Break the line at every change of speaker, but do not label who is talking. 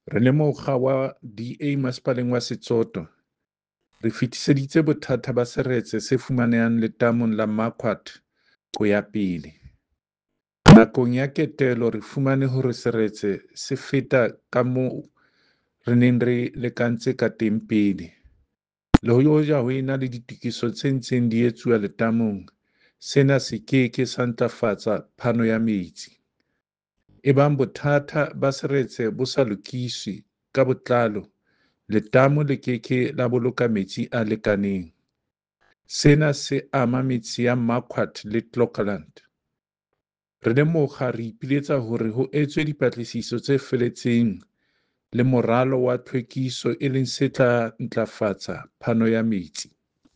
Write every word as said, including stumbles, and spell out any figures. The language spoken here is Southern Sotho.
Re le mokga wa D A Masepaleng wa Setsoto, re fetiseditse bothata ba seretse se fumanehang letamong la Marquard ho ya pele. Nakong ya ketelo re fumane hore seretse se feta ka moo re neng re lekantse ka teng pele. Le hoja ho ena le ditokiso tse ntseng di etsuwa letamong, sena se ke ke sa ntlafatsa phano ya metsi. Ebang bothata ba seretse bo sa lokiswe ka botlalo, letamo le ke ke la boloka metsi a lekaneng. Sena se ama metse ya Marquard le Clocolan. Re le mokga re ipiletsa hore ho etswe dipatlisiso tse felletseng le moralo wa tlhwekiso e leng se tla ntlafatsa phano ya metsi.